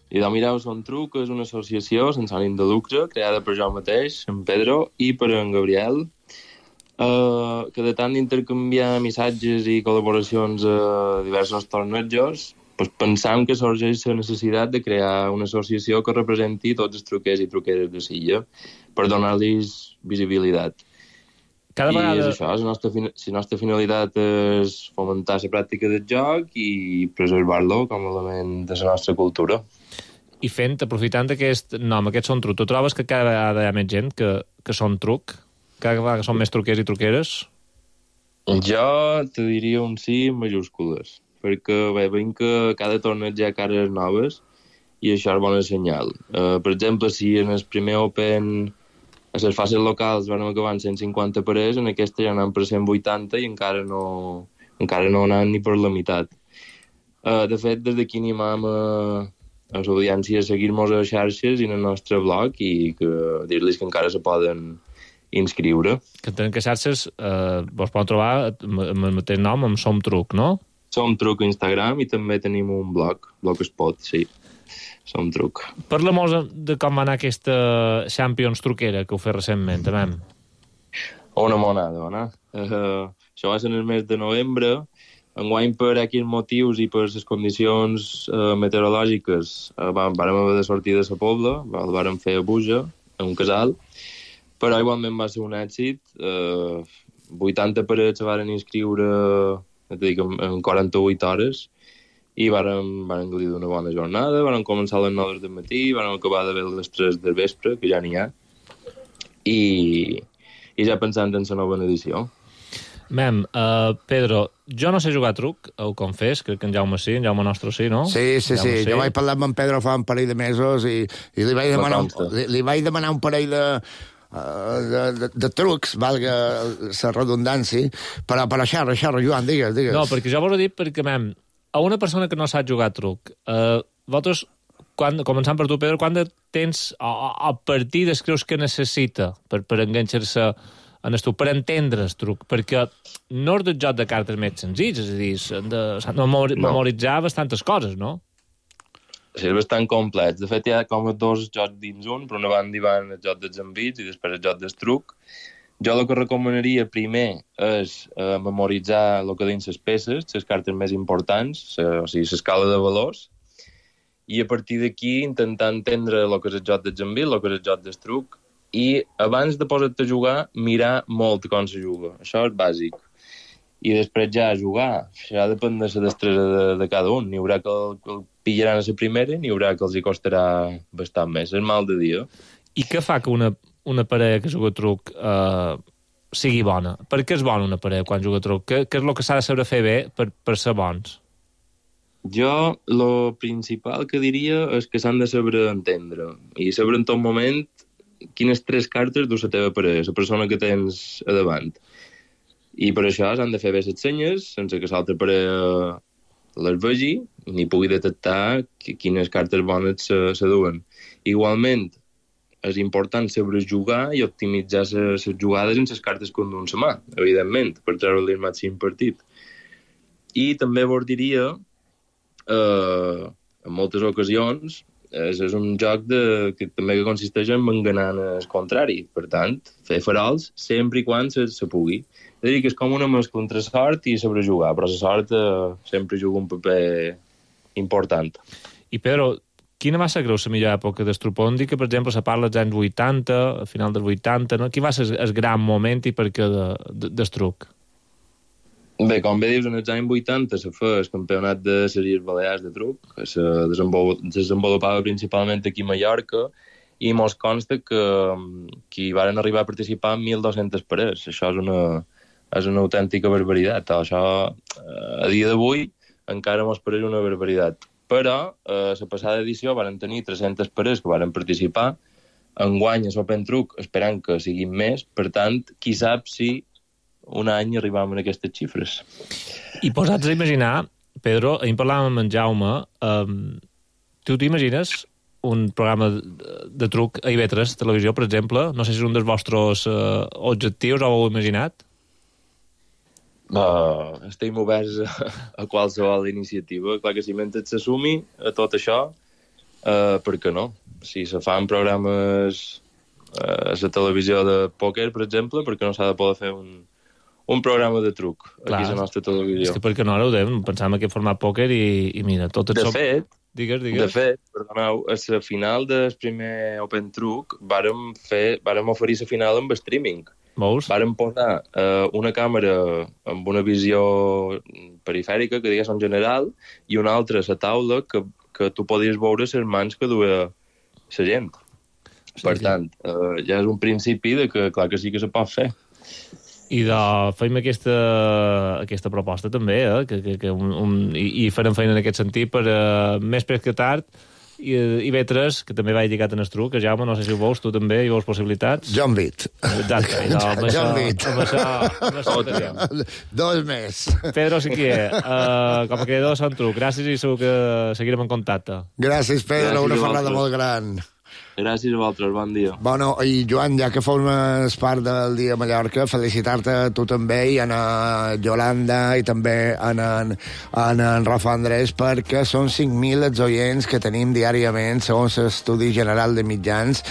I doncs mireu, Som Truc és una associació sense ànim de lucre creada per jo mateix, en Pedro, i per en Gabriel, que de tant d'intercanviar missatges i col·laboracions a diversos tornejos, doncs pensam que sorgeix la necessitat de crear una associació que representi tots els truquers i truqueres de l'illa per donar-los visibilitat. Cada vegada... I és això, la nostra finalitat és fomentar la pràctica del joc i preservar-lo com a element de la nostra cultura. I aprofitant aquest nom, aquest Som Truc, tu trobes que cada vegada hi ha més gent que són truc? Cada vegada són més truquers i truqueres? Jo te diria un sí en majúscules, perquè veiem que cada torneig hi ha cares noves i això és bon senyal. Per exemple, si en el primer Open a les fases locals van acabar en 150 parers, en aquesta ja anant per 180 i encara no anant ni per la meitat. De fet, des d'aquí animam a l'audiència a seguir-nos a les xarxes i en el nostre blog i dir-los que encara se poden inscriure. Que entenem que xarxes vos poden trobar amb el mateix nom, amb Som Truc, no? Som Truc a Instagram i també tenim un blogspot, sí. Som Truc. Parla-mos de com va anar aquesta Champions truquera que ho fes recentment, també. Una monada, no? Això va ser en el mes de novembre. Enguany, per aquells motius i per les condicions meteorològiques, vam haver de sortir de Sa Pobla, el vam fer a Buja, en un casal, però igualment va ser un èxit. 80 parets se van inscriure en 48 hores i varen gaudir d'una bona jornada, varen començar a les 9 del matí, varen acabar de veure les 3 del vespre, que ja n'hi ha, i ja pensant en la nova edició. Mem, Pedro, jo no sé jugar a truc, ho confés, crec que en Jaume sí, en Jaume nostre sí, no? Sí. Jo vaig parlar amb en Pedro fa un parell de mesos i li vaig demanar un parell de trucs, valga la redundància, però xerra, Joan, digues. No, perquè jo vos ho dic perquè, mem, a una persona que no sap jugar a truc, vosaltres, començant per tu, Pedro, quant de temps o partides creus que necessita per enganxar-se en el truc, per entendre el truc? Perquè no és del joc de cartes més senzills, és a dir, s'han de memoritzar bastantes coses, no? Sí, és bastant complex. De fet, hi ha com dos jocs dins un. Per una banda hi van el joc dels envits i després el joc del truc. Jo el que recomanaria primer és memoritzar el que dins les peces, les cartes més importants, o sigui, l'escala de valors, i a partir d'aquí intentar entendre el que és el joc dels envits, el que és el joc del truc, i abans de posar-te a jugar, mirar molt com se juga. Això és bàsic. I després ja jugar. Ja depèn de la destresa de cada un. N'hi haurà que el pillaran a la primera, n'hi haurà que els hi costarà bastant més. És mal de dia. I què fa que una parella que juga a truc sigui bona? Per què és bona una parella quan juga a truc? Què és el que s'ha de saber fer bé per ser bons? Jo, el principal que diria és que s'han de saber entendre. I saber en tot moment quines 3 cartes du la teva parella, la persona que tens a davant. I per això s'han de fer bé les senyes, sense que l'altra parella les vegi ni pugui detectar quines cartes bones se duen. Igualment, és important saber jugar i optimitzar les jugades en les cartes que duen la mà, evidentment, per treure-li el màxim partit. I també vos diria, en moltes ocasions, és un joc que també consisteix en enganar el contrari. Per tant, fer farols sempre i quan se pugui. És a dir, que és com una mescla entre sort i saber jugar, però la sort sempre juga un paper important. I Pedro, quina va ser, creus, la millor època d'Estruc? Podem dir que, per exemple, se parla dels anys 80, al final dels 80, no? Quin va ser el gran moment i per què d'Estruc? Bé, com bé dius, en els anys 80 se fa el campionat de les Illes Balears de truc, que se desenvolupava principalment aquí a Mallorca, i mos consta que hi van arribar a participar 1.200 parers. Això és una autèntica barbaritat. Això, a dia d'avui, encara mos pareix una barbaritat. Però, a la passada edició van tenir 300 parers que van participar, enguany a l'Open Truc esperant que siguin més, per tant, qui sap si un any arribàvem a aquestes xifres. I posats a imaginar, Pedro, ahir parlàvem amb en Jaume, tu t'imagines un programa de truc a IB3 Televisió, per exemple? No sé si és un dels vostres objectius, o ho heu imaginat? Estem oberts a qualsevol iniciativa. Clar que si mentre s'assumi a tot això, per què no? Si se fan programes a la televisió de pòquer, per exemple, per què no s'ha de poder fer un programa de truc aquí a la nostra televisió? És que perquè no ara ho dèiem, pensàvem que format pòquer i mira, tot de fet, Digues. De fet, perdoneu, a la final del primer Open Truc vàrem oferir la final amb streaming. Veus? Vàrem posar una càmera amb una visió perifèrica, que digués en general, i una altra a la taula que tu podies veure les mans que duia la gent. Per tant, ja és un principi de que clar que sí que se pot fer. I fem aquesta proposta també, i farem feina en aquest sentit per més pres que tard, i B3, que també va lligat en Estruc, que Jaume, no sé si ho veus, tu també hi veus possibilitats. Jo en vit. Exacte. Jo en vit. Dos més. Pedro Siquier, com a creador de Sant Truc, gràcies i segur que seguirem en contacte. Gràcies, Pedro, una ferrada molt gran. Gràcies a vosaltres, bon dia. Bueno, i Joan, ja que formes part del Dia de Mallorca, felicitar-te a tu també i a Yolanda i també a en Rafa Andrés, perquè són 5.000 els oients que tenim diàriament, segons l'Estudi General de Mitjans,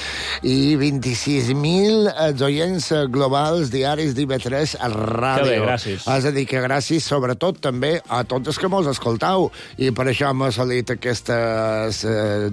i 26.000 els oients globals diaris d'IB3 a ràdio. Que bé, gràcies. És a dir, que gràcies sobretot també a tots els que mos escoltau, i per això hem assolit aquestes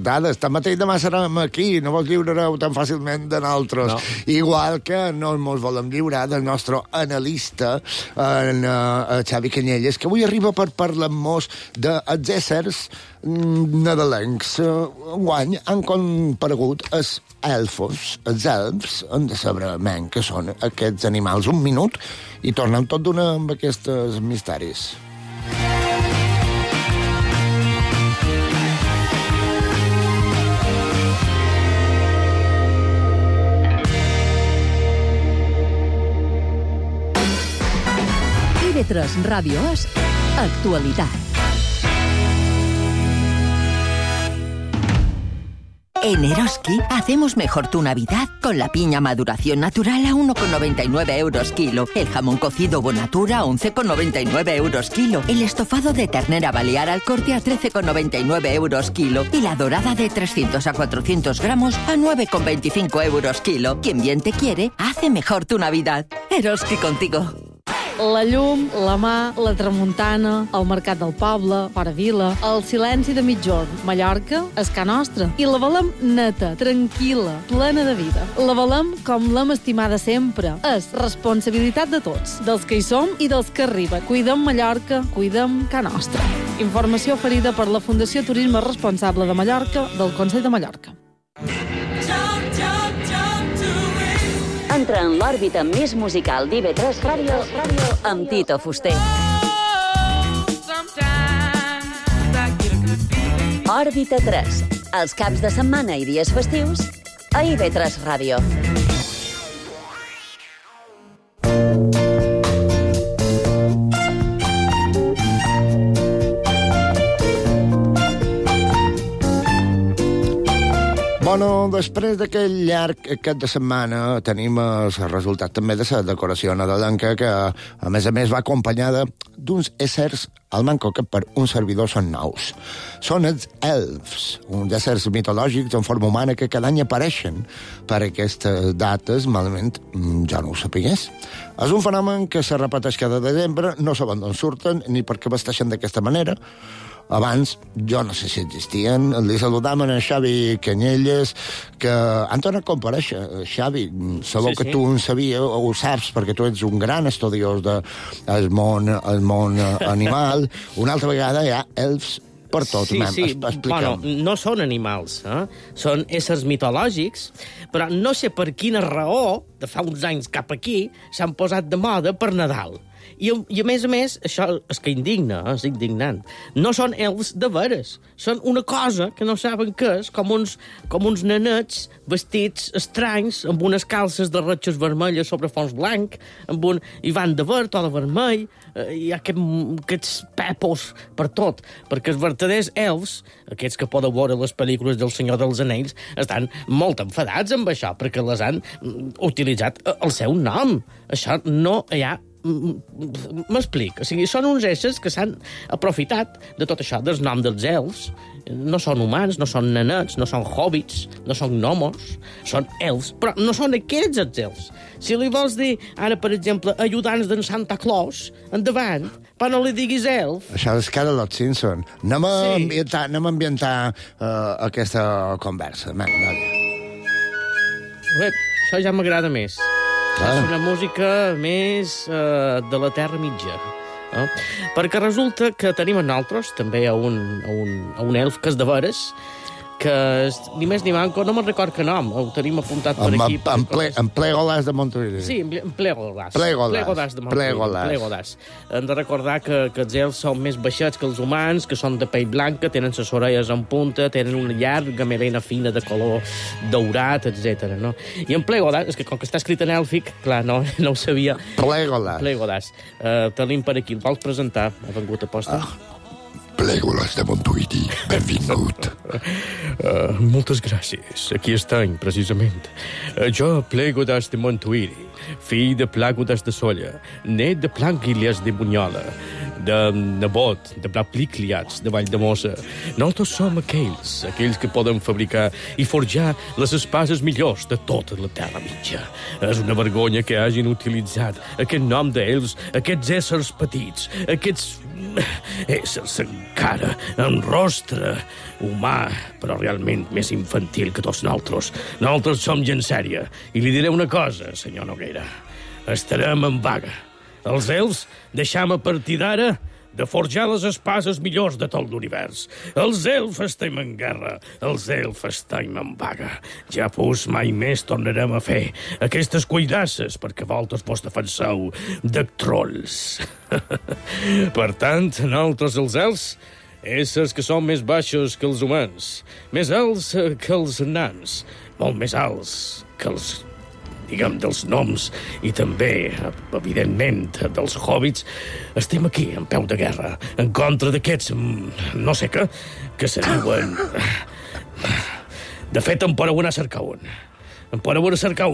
dades. Tanmateix demà serem aquí, no vos lliurareu tan fàcilment de nosaltres. No. Igual que no mos volem lliurar del nostre analista, Xavi Canyelles, que avui arriba per parlar-nos dels éssers nadalencs. Enguany han comparegut els elfos. Els elfs han de saber què són aquests animals. Un minut i tornem tot d'una amb aquests misteris. IB3 Ràdio és actualitat. En Eroski hacemos mejor tu Navidad con la piña maduración natural a 1,99 euros kilo, el jamón cocido Bonatura a 11,99 euros kilo, el estofado de ternera balear al corte a 13,99 euros kilo y la dorada de 300 a 400 gramos a 9,25 euros kilo. Quien bien te quiere, hace mejor tu Navidad. Eroski contigo. La llum, la mà, la tramuntana, el mercat del poble, fora vila, el silenci de mitjorn, Mallorca és ca nostra. I la volem neta, tranquil·la, plena de vida. La volem com l'hem estimada sempre. És responsabilitat de tots, dels que hi som i dels que arriben. Cuidem Mallorca, cuidem ca nostra. Informació oferida per la Fundació Turisme Responsable de Mallorca del Consell de Mallorca. Entra en l'òrbita més musical d'IB3 Ràdio amb Tito Fuster. Òrbita 3. Els caps de setmana i dies festius a IB3 Ràdio. Bueno, després d'aquest llarg cap de setmana tenim el resultat també de la decoració nadalenca que, a més va acompanyada d'uns éssers al manco que per un servidor són nous. Són els elfs, uns éssers mitològics en forma humana que cada any apareixen per aquestes dates, malament ja no ho sapigués. És un fenomen que se repeteix cada desembre, no saben d'on surten ni per què vesteixen d'aquesta manera. Abans, jo no sé si existien, li saludam a Xavi Canyelles, que han tornat a comparèixer. Xavi, sabeu que tu en sabies, o ho saps, perquè tu ets un gran estudiós del món animal. Una altra vegada hi ha elfs per tot. Sí. Bueno, no són animals, són éssers mitològics, però no sé per quina raó, de fa uns anys cap aquí, s'han posat de moda per Nadal. I a més, això és que indigna, és indignant. No són elfs de veres, són una cosa que no saben què és, com uns nenets vestits estranys, amb unes calces de ratxes vermelles sobre fons blanc, i van de verd o de vermell, hi ha aquests pèpols per tot, perquè els verdaders elfs, aquests que podeu veure les pel·lícules del Senyor dels Anells, estan molt enfadats amb això, perquè les han utilitzat el seu nom. Això no hi ha... M'explic. O sigui, són uns éssers que s'han aprofitat de tot això, del nom dels elfs. No són humans, no són nenets, no són hobbits, no són gnomos, són elfs, però no són aquests els elfs. Si li vols dir, ara, per exemple, ajudants d'en Santa Claus, endavant, però no li diguis elf. Això és cara de los Simpson. Anem a ambientar aquesta conversa. Això ja m'agrada més. És una música més de la Terra Mitja. Perquè resulta que tenim a nosaltres també a un elf que és de veres, que és ni més ni manco, no me'n record que nom, ho tenim apuntat per aquí. En Plegolas de Montuïri. Sí, en Plegolas. Plegolas de Montuïri. Plegolas. Hem de recordar que els elfs són més baixets que els humans, que són de pell blanca, tenen les orelles en punta, tenen una llarga melena fina de color daurat, etc. No? I en Plegolas, és que com que està escrit en èlfic, clar, no ho sabia. Plegolas. Tenim per aquí, el vols presentar? Ha vengut a posta? Plegolas de Montuïri, benvingut. Moltes gràcies. Aquí estem, precisament. Jo, Plegolas de Montuïri, fill de Plàgodas de Solla, net de Plànquilias de Bunyola, de nebot de Plaplicliats de Valldemossa. Nosaltres som aquells que poden fabricar i forjar les espases millors de tota la Terra Mitja. És una vergonya que hagin utilitzat aquest nom d'ells, aquests éssers petits, aquests éssers encara amb rostre humà, però realment més infantil que tots nosaltres. Nosaltres som gent sèria. I li diré una cosa, senyor Noguera. Estarem en vaga. Els elfs deixam a partir d'ara de forjar les espases millors de tot l'univers. Els elfs estem en guerra, els elfs estem en vaga. Ja pues mai més tornarem a fer aquestes cuidasses perquè vosaltres vos defenseu de trolls. Per tant, nosaltres els elfs, éssers que són més baixos que els humans, més alts que els nans, molt més alts que els dels noms i també, evidentment, dels hobbits, estem aquí, en peu de guerra, en contra d'aquests, no sé què, que se diuen... De fet, em podeu anar a cercar un.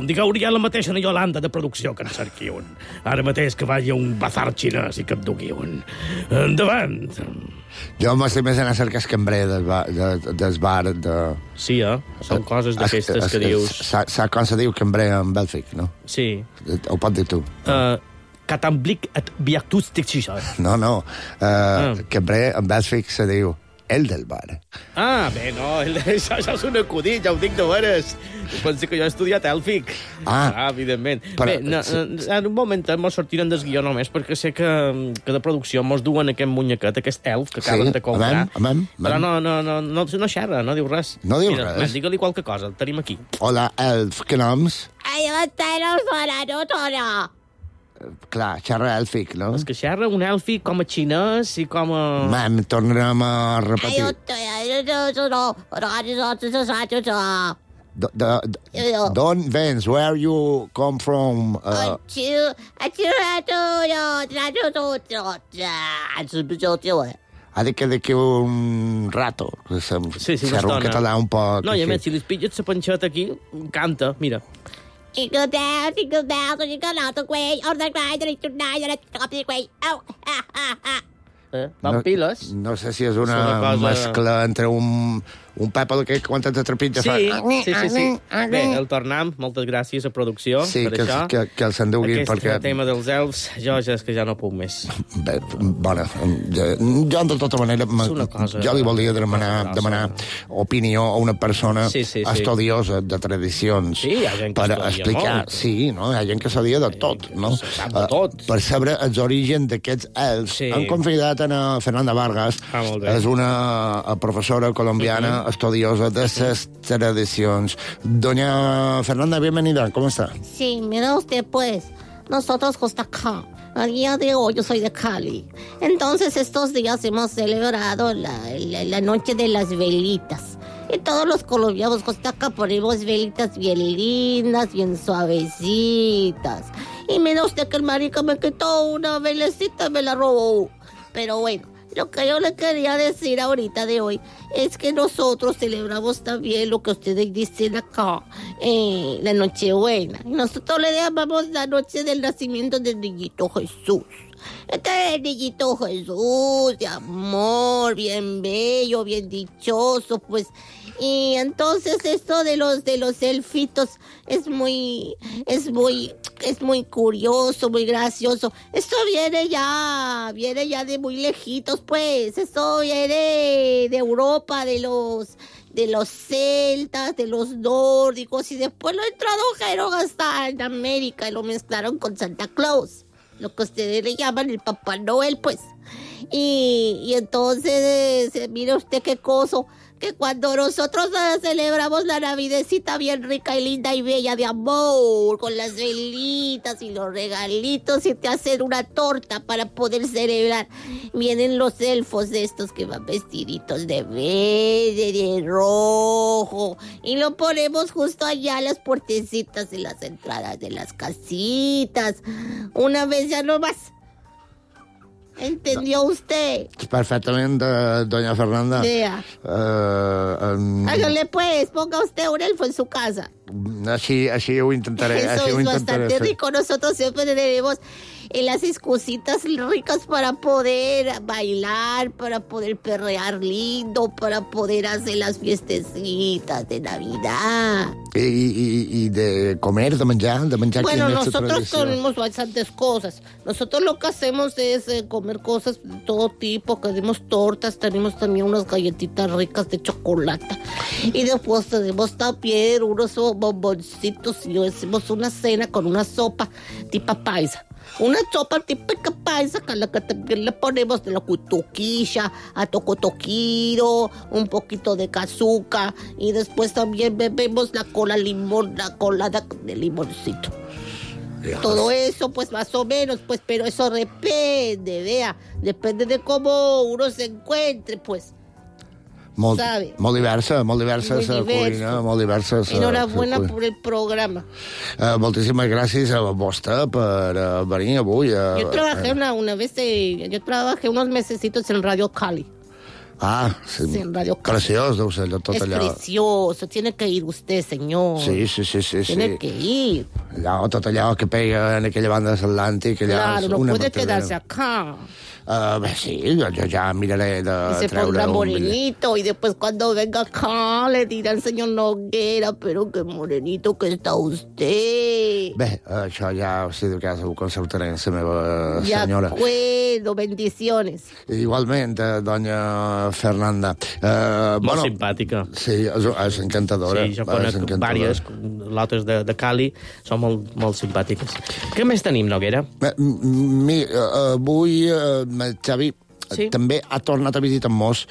Digueu-li a la mateixa Yolanda de producció que en cerqui un. Ara mateix que vagi a un bazar xinès i que et dugui un. Endavant! Jo m'estic més anar a cercar el cambrer del bar de... Sí, són coses d'aquestes que dius... Saps com se diu cambrer en bèlfic, no? Sí. Ho pot dir tu. Catamblic et biactústic xixar. No. Cambrer en bèlfic se diu el del bar. Bé, no, això és un acudit, ja ho dic de veres. Penso que jo he estudiat èlfic. Evidentment. Bé, en un moment mos sortiran del guió només, perquè sé que de producció mos duen aquest muñequet, aquest elf que acaben de comprar. Però no xerra, no diu res. No diu res? Digue-li qualque cosa, el tenim aquí. Hola, elf, què noms? Clar, xerra èlfic, no? És que xerra un èlfic com a xinès i com a... Tornarem a repetir. D'on vens? Where you come from? Ha dit que d'aquí un rato. Sí, serà un català un poc... No, i a més, si li pilles la panxeta aquí, canta, mira. Van piles. No sé si és una mescla entre un Pepa que quan te trepitja fa... Sí. Bé, el tornam, moltes gràcies a producció per això. Sí, que el s'enduguin perquè... Aquest tema dels elfs, jo ja és que ja no puc més. Bé, bona, jo de tota manera jo li volia demanar opinió a una persona estudiosa de tradicions per explicar... Sí, no? Hi ha gent que sabia de tot, no? Per saber els orígens d'aquests elfs. Han convidat a Fernanda Vargas, és una professora colombiana estudiosa de las tradiciones. Doña Fernanda, bienvenida, ¿cómo está? Sí, mira usted pues, nosotros Costa Rica, al día de hoy yo soy de Cali. Entonces estos días hemos celebrado la noche de las velitas. Y todos los colombianos Costa Rica ponemos velitas bien lindas, bien suavecitas. Y mira usted que el marica me quitó una velecita y me la robó. Pero bueno, lo que yo le quería decir ahorita de hoy es que nosotros celebramos también lo que ustedes dicen acá, la Nochebuena. Y nosotros le llamamos la noche del nacimiento del niñito Jesús. Este es el niñito Jesús, de amor, bien bello, bien dichoso, pues. Y entonces esto de los elfitos es muy curioso, muy gracioso. Esto viene ya de muy lejitos, pues. Esto viene de Europa, de los celtas, de los nórdicos, y después lo introdujeron hasta en América y lo mezclaron con Santa Claus, lo que ustedes le llaman el Papá Noel, pues. Y entonces, mire usted qué cosa, que cuando nosotros celebramos la navidecita bien rica y linda y bella de amor, con las velitas y los regalitos, y te hacen una torta para poder celebrar, vienen los elfos de estos que van vestiditos de verde, de rojo, y lo ponemos justo allá a las puertecitas de las entradas de las casitas, una vez ya no más. ¿Entendió usted? Perfectamente, doña Fernanda. Hágale pues, ponga usted un elfo en su casa. Así ho intentaré. Eso es bastante rico. Nosotros siempre tenemos las excusitas ricas para poder bailar, para poder perrear lindo, para poder hacer las fiestecitas de Navidad. Y de comer, de manjar. Bueno, nosotros comemos bastantes cosas. Nosotros lo que hacemos es comer cosas de todo tipo. Tenemos tortas, tenemos también unas galletitas ricas de chocolate. Y después tenemos también unos bomboncitos y hacemos una cena con una sopa tipo paisa. Una sopa típica paisa que también le ponemos de la cutuquilla, a tocotoquiro, un poquito de cazuca, y después también bebemos la colada de limoncito. Dios. Todo eso, pues, más o menos, pues, pero eso depende de cómo uno se encuentre, pues. Molt diversa la cuina, molt diversa. Enhorabuena por el programa. Moltíssimes gràcies a vostè per venir avui. Yo trabajé unos mesecitos en Radio Cali. Ah, sí, en Radio Cali. Preciós, deu ser tot allò. Es precioso, tiene que ir usted, señor. Sí. Tiene que ir. Tot allò que pega en aquella banda de l'Atlàntic. Claro, no puede quedarse acá. Sí, yo ya miraré de y se pondrá morenito, y después cuando venga acá le dirá al señor Noguera, pero qué morenito que está usted. Bé, això ja, si de cas, ho consultaré amb la meva senyora. De acuerdo, bendiciones. Igualment, doña Fernanda. Molt simpàtica. Sí, és encantadora. Sí, jo conec diverses, l'altres de Cali, són molt simpàtiques. Què més tenim, Noguera? Avui Xavi també ha tornat a visitar-nos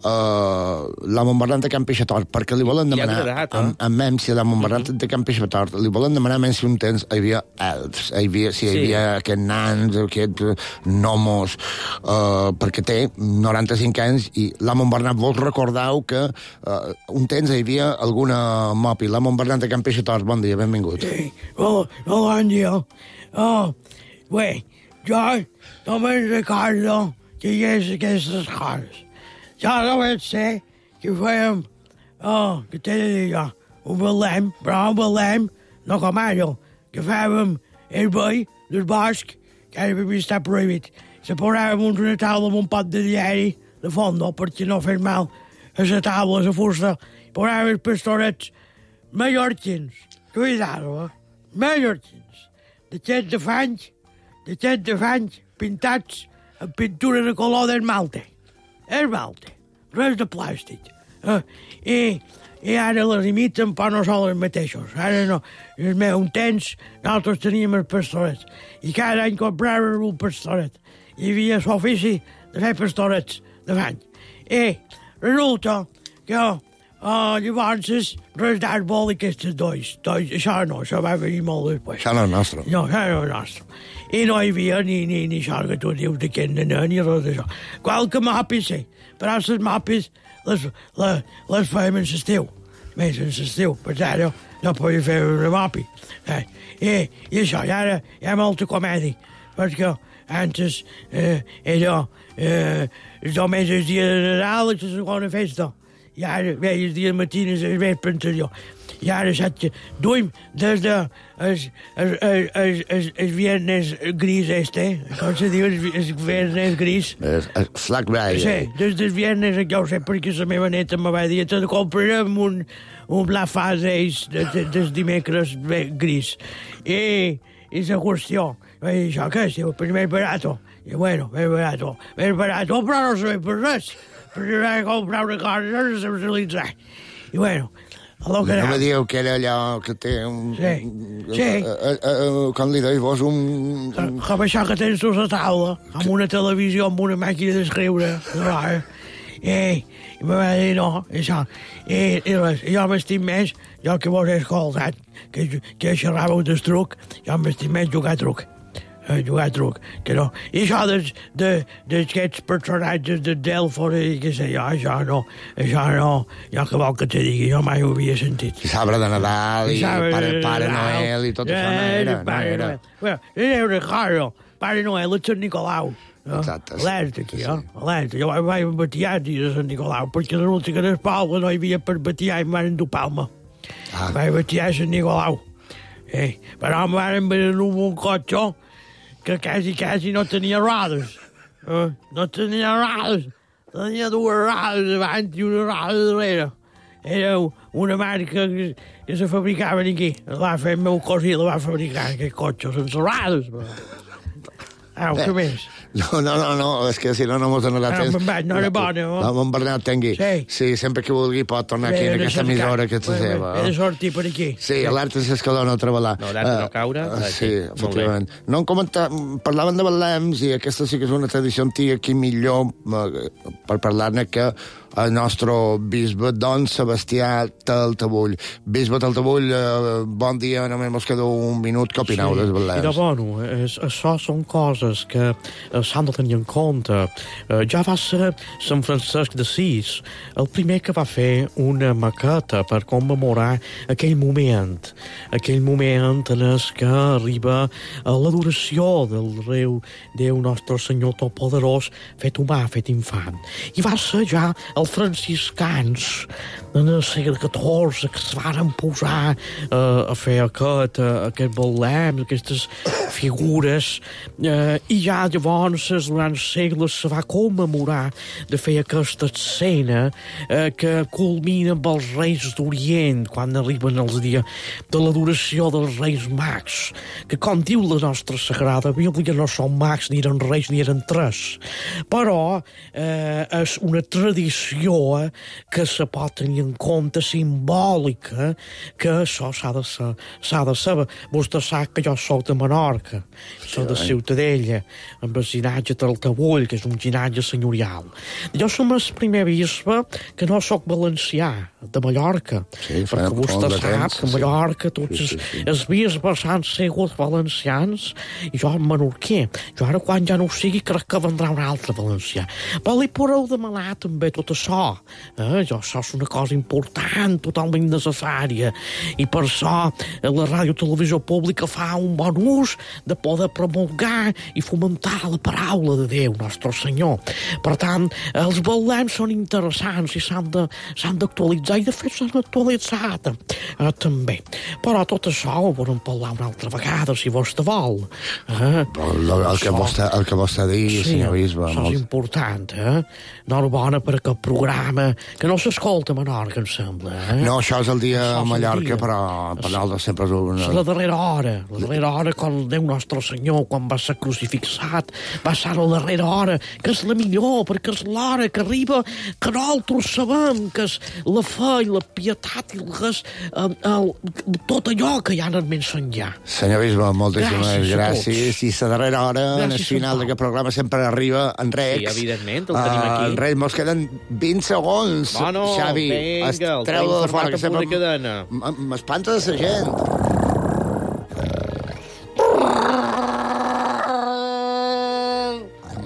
la Montbernat de Can Peixator, perquè li volen demanar a Memsi, la Montbernat de Can Peixator, li volen demanar a Memsi un temps hi havia elfs, hi havia aquests nans, aquests gnomos, perquè té 95 anys i la Montbernat, vos recordeu que un temps hi havia alguna mopi. La Montbernat de Can Peixator, bon dia, benvingut. Sí, bon dia. Bé, jo també Ricardo, que hi hagués aquestes coses. Jo no vaig ser que fèiem, que t'he de dir jo, un balem, però un balem, no com ara, que fèiem el veí del bosc, que ara per mi està prohibit. Se posàvem una taula amb un pot de diari de fondo, perquè no fes mal a la taula, a la fusta. Posàvem els pastorets mallorquins, cuidado, mallorquins, d'aquests de fanys, pintats amb pintura de color d'esmalte. Esmalte, res de plàstic. I ara les imiten, però no són els mateixos. Ara no. En el meu temps, nosaltres teníem els pastorets. I cada any compràvem un pastoret. Hi havia l'ofici de fer pastorets de fany. I resulta que llavors res d'àrbol i aquestes dois. Això no, això va venir molt després. Això no és nostre. No, això no és nostre. I no hi havia ni això que tu dius d'aquest nen, ni res d'això. Qualque mapis, sí, però les mapis les fèiem en l'estiu. Més en l'estiu, per tant, no podia fer una mapi. I això, i ara hi ha molta comèdia, perquè antes era només el dia de Nadal i la segona festa. I ara veia el dia de matines el vespre anterior. I ara saps que duim des de el viernes gris com se diu, el viernes gris. El Black Friday. Sí, des del viernes, ja ho sé, perquè la meva neta me va dir que comprarem un Black Friday des dimecres gris. I la qüestió, això què és? Pues més barato. I bueno, més barato, però no sabem per res. Perquè vaig comprar una cosa sense utilitzar. I bueno, no me dieu que era allò que té un... Sí. Com li deis vos, un... Com això que tens tu a la taula, amb una televisió, amb una màquina d'escriure. I me va dir no, això. I res, jo m'estim més, jo que vos he escoltat, que xerràveu del truc, jo m'estim més jugar truc. Que no. I això d'aquests personatges de Delfos i què sé jo, això no, jo que vol que te digui, jo mai ho havia sentit. I sabre de Nadal, i Pare Noel, i tot això no era. Bueno, era una cosa, Pare Noel és Sant Nicolau. Exacte. Alerta aquí, alerta. Jo vaig batiar el dia de Sant Nicolau, perquè resulta que en el poble no hi havia per batiar i em van dur Palma. Vaig batiar Sant Nicolau. Però em van venir un cotxe que quasi no tenia rodes. No tenia rodes. Tenia dues rodes davant i una roda darrere. Era una marca que se fabricaven aquí. La va fer el meu cosí, la va fabricar, aquest cotxe, sense rodes. Què més? No, és que si no mos donarà temps. No era bona, no? En Bernat Tengui. Sí, sempre que vulgui pot tornar aquí en aquesta emissora que és la seva. He de sortir per aquí. Sí, alerta s'escalona a treballar. No, alerta no caure. Sí, efectivament. No parlaven de balems i aquesta sí que és una tradició antiga aquí millor per parlar-ne que el nostre bisbe Don Sebastià Taltabull. Bisbe Taltabull, bon dia, només mos queda un minut. Què opineu dels balems? Mira, bueno, això són coses que s'han de tenir en compte. Ja va ser Sant Francesc d'Assís el primer que va fer una maqueta per commemorar aquell moment en què arriba l'adoració del Déu nostre Senyor Totpoderós fet humà, fet infant. I va ser ja els franciscans en el segle XIV que es van posar a fer aquest balem, aquestes figures, i ja llavors durant segles se va commemorar de fer aquesta escena que culmina amb els Reis d'Orient quan arriben els dies de l'adoració dels Reis Mags, que com diu la nostra Sagrada Bíblia no són mags, ni eren reis ni eren tres, però és una tradició que se pot tenir en compte, simbòlica, que això s'ha de saber. Vostè sap que jo soc de Menorca, soc de Ciutadella, amb el ginatge Taltabull, que és un ginatge senyorial. Jo som el primer bisbe que no soc valencià, de Mallorca, perquè vostè sap que a Mallorca tots els bisbes han sigut valencians i jo menorquer. Jo ara, quan ja no ho sigui, crec que vendrà un altre valencià. Però li podeu demanar també tota això. Això és una cosa important, totalment necessària. I per això la Ràdio Televisió Pública fa un bon ús de poder promulgar i fomentar la paraula de Déu, Nostre Senyor. Per tant, els balems són interessants i s'han d'actualitzar, i de fet s'han actualitzat també. Però tot això ho volem parlar una altra vegada, si vostè vol. El que vostè digui, senyor bisbe. Això és important, Enhorabona per aquest programa, que no s'escolta a Menorca, em sembla. No, això és el dia a Mallorca, però per nosaltres sempre és una... És la darrera hora, quan Déu Nostre Senyor, quan va ser crucificat, va ser la darrera hora, que és la millor, perquè és l'hora que arriba, que nosaltres sabem que és la fe i la pietat i tot allò que hi ha en el més enllà. Senyor bisbe, moltíssimes gràcies. I la darrera hora, en el final d'aquest programa, sempre arriba en Rex. Sí, evidentment, el tenim aquí. En Rex, mos queden 20 segons. Bueno, Xavi, vinga, el treu-lo de fora, que sempre cadena. m'espanta de la gent.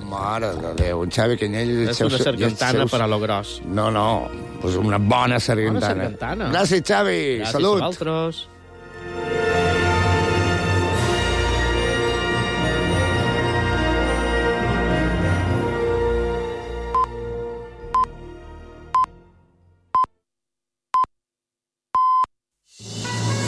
Mare de Déu, en Xavi Canyell... És una sargantana per a lo gros. No, pues una bona sargantana. Bona sargantana. Gràcies, Xavi. Gràcies Salut. a vosaltres.